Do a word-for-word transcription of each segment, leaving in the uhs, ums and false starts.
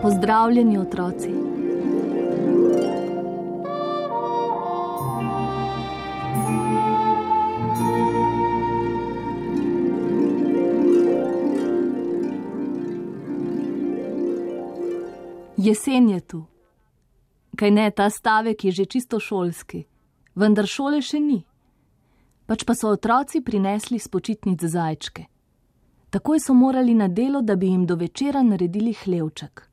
Pozdravljeni, otroci. Jesen je tu. Kaj ne, ta stavek je že čisto šolski, vendar šole še ni. Pač pa so otroci prinesli s počitnic zajčke. Takoj so morali na delo, da bi jim do večera naredili hlevček.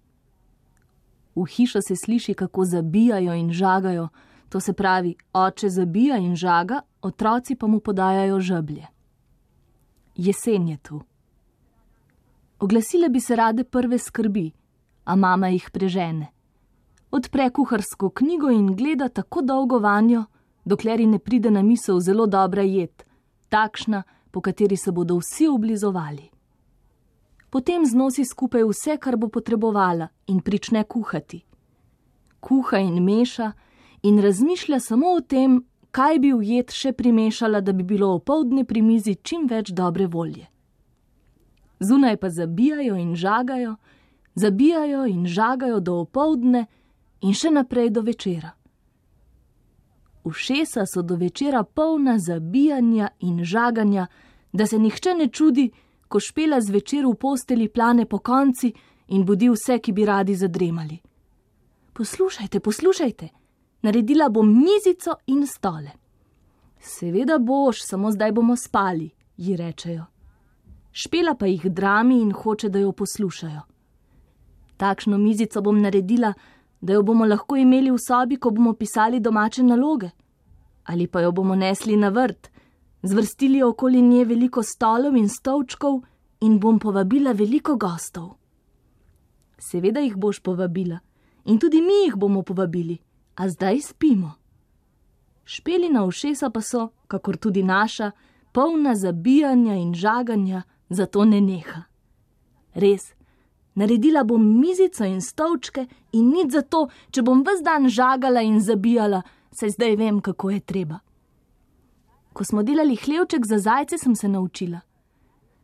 V hišo se sliši, kako zabijajo in žagajo, to se pravi, oče zabija in žaga, otroci pa mu podajajo žeblje. Jesen je tu. Oglasile bi se rade prve skrbi, a mama jih prežene. Odpre kuharsko knjigo in gleda tako dolgo vanjo, dokler ji ne pride na misel zelo dobra jed, takšna, po kateri se bodo vsi oblizovali. Potem znosi skupaj vse, kar bo potrebovala in prične kuhati. Kuha in meša in razmišlja samo o tem, kaj bi v jed še primešala, da bi bilo opoldne pri mizi čim več dobre volje. Zunaj pa zabijajo in žagajo, zabijajo in žagajo do opoldne in še naprej do večera. Ušesa so do večera polna zabijanja in žaganja, da se nihče ne čudi, ko Špela zvečer v posteli plane po konci in budi vse, ki bi radi zadremali. Poslušajte, poslušajte, naredila bom mizico in stole. Seveda boš, samo zdaj bomo spali, ji rečejo. Špela pa jih drami in hoče, da jo poslušajo. Takšno mizico bom naredila, da jo bomo lahko imeli v sobi, ko bomo pisali domače naloge. Ali pa jo bomo nesli na vrt, zvrstili okoli nje veliko stolov in stolčkov in bom povabila veliko gostov. Seveda jih boš povabila in tudi mi jih bomo povabili, a zdaj spimo. Špelina ušesa pa so, kakor tudi naša, polna zabijanja in žaganja, zato ne neha. Res, naredila bom mizico in stolčke in nič zato, če bom ves dan žagala in zabijala, saj zdaj vem, kako je treba. Ko smo delali hlevček za zajce, sem se naučila.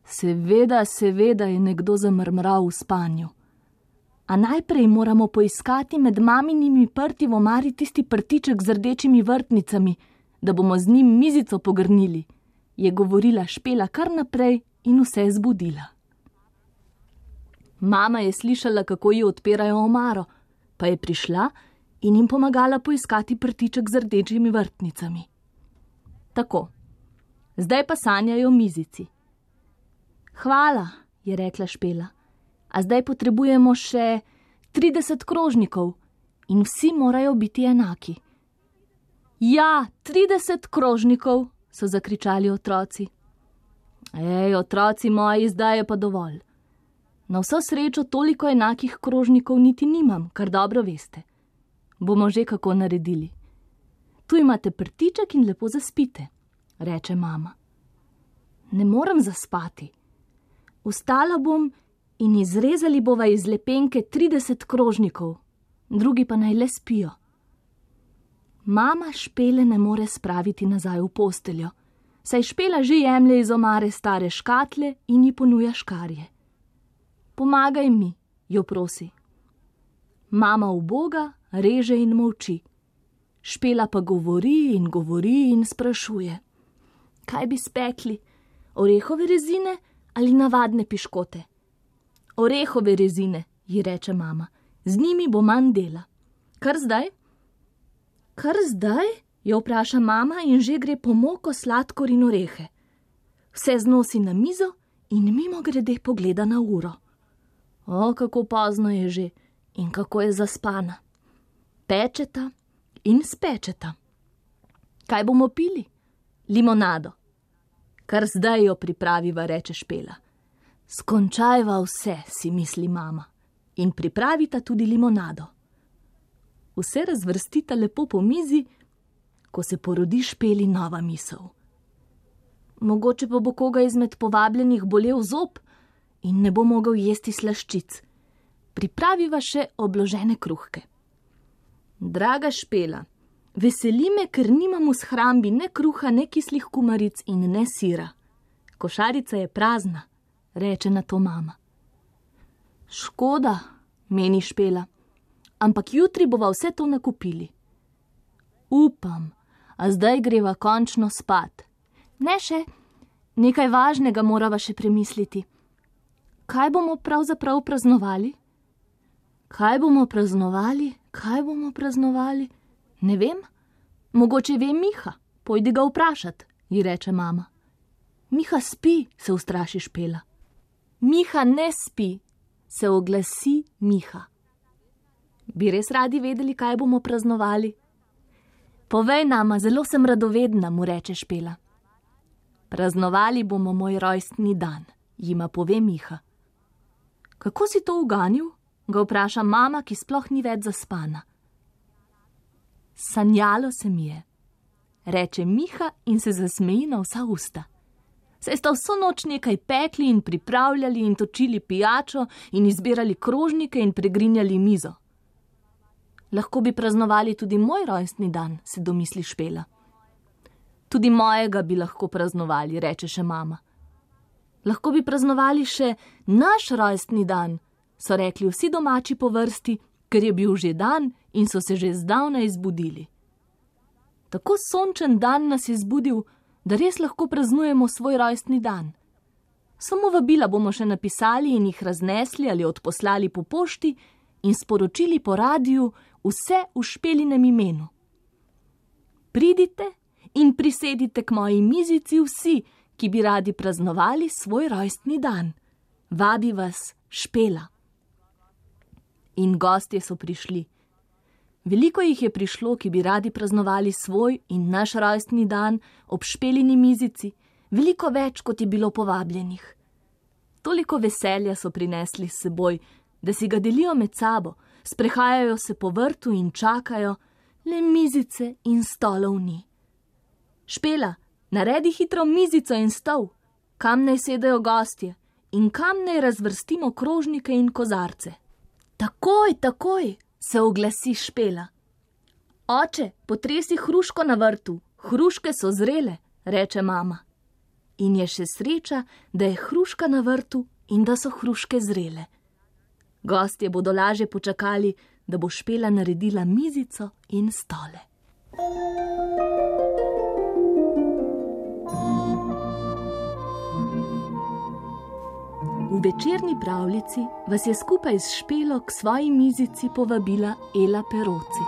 Seveda, seveda je nekdo zamrmral v spanju. A najprej moramo poiskati med maminimi prti v omari tisti prtiček z rdečimi vrtnicami, da bomo z njim mizico pogrnili, je govorila Špela kar naprej in vse zbudila. Mama je slišala, kako ji odpirajo omaro, pa je prišla in jim pomagala poiskati prtiček z rdečimi vrtnicami. Tako, zdaj pa sanjajo mizici. Hvala, je rekla Špela, a zdaj potrebujemo še trideset krožnikov in vsi morajo biti enaki. Ja, trideset krožnikov, so zakričali otroci. Ej, otroci moji, zdaj je pa dovolj. Na vso srečo toliko enakih krožnikov niti nimam, kar dobro veste. Bomo že kako naredili. Tu imate prtiček in lepo zaspite, reče mama. Ne morem zaspati. Vstala bom in izrezali bova iz lepenke trideset krožnikov, drugi pa naj le spijo. Mama Špele ne more spraviti nazaj v posteljo, saj Špela že jemlje iz omare stare škatle in ji ponuja škarje. Pomagaj mi, jo prosi. Mama uboga reže in molči. Špela pa govori in govori in sprašuje. Kaj bi spekli? Orehove rezine ali navadne piškote? Orehove rezine, ji reče mama. Z njimi bo manj dela. Kar zdaj? Kar zdaj? Jo vpraša mama in že gre po moko, sladkor in orehe. Vse znosi na mizo in mimo grede pogleda na uro. O, kako pozno je že in kako je zaspana. Pečeta in spečeta. Kaj bomo pili? Limonado. Kar zdaj jo pripraviva, reče Špela. Skončajva vse, si misli mama, in pripravita tudi limonado. Vse razvrstita lepo po mizi, ko se porodi Špeli nova misel. Mogoče pa bo koga izmed povabljenih bolel zob in ne bo mogel jesti slaščic. Pripraviva še obložene kruhke. Draga Špela, veseli me, ker nimam v shrambi ne kruha, ne kislih kumaric in ne sira. Košarica je prazna, reče na to mama. Škoda, meni Špela, ampak jutri bova vse to nakupili. Upam, a zdaj greva končno spat. Ne še, nekaj važnega morava še premisliti. Kaj bomo pravzaprav praznovali? Kaj bomo praznovali? Kaj bomo praznovali? Ne vem, mogoče ve Miha, pojdi ga vprašat, ji reče mama. Miha spi, se ustraši Špela. Miha ne spi, se oglasi Miha. Bi res radi vedeli, kaj bomo praznovali? Povej nama, zelo sem radovedna, mu reče Špela. Praznovali bomo moj rojstni dan, jima pove Miha. Kako si to uganil? Ga vpraša mama, ki sploh ni več zaspana. Sanjalo se mi je, reče Miha in se zasmeji na vsa usta. Saj sta vso noč nekaj pekli in pripravljali in točili pijačo in izbirali krožnike in pregrinjali mizo. Lahko bi praznovali tudi moj rojstni dan, se domisli Špela. Tudi mojega bi lahko praznovali, reče še mama. Lahko bi praznovali še naš rojstni dan, so rekli vsi domači po vrsti, ker je bil že dan in so se že zdavnaj zbudili. Tako sončen dan nas je zbudil, da res lahko praznujemo svoj rojstni dan. Samo vabila bomo še napisali in jih raznesli ali odposlali po pošti in sporočili po radiju vse v Špelinem imenu. Pridite in prisedite k moji mizici vsi, ki bi radi praznovali svoj rojstni dan. Vabi vas Špela. In gostje so prišli. Veliko jih je prišlo, ki bi radi praznovali svoj in naš rojstni dan ob Špelini mizici, veliko več, kot je bilo povabljenih. Toliko veselja so prinesli s seboj, da si ga delijo med sabo, sprehajajo se po vrtu in čakajo, le mizice in stolov ni. Špela, naredi hitro mizico in stol, kam naj sedajo gostje in kam naj razvrstimo krožnike in kozarce. Takoj, takoj, se oglasi Špela. Oče, potresi hruško na vrtu, hruške so zrele, reče mama. In je še sreča, da je hruška na vrtu in da so hruške zrele. Gostje bodo laže počakali, da bo Špela naredila mizico in stole. V večerni pravljici vas je skupaj s Špelo k svoji mizici povabila Ela Peroci.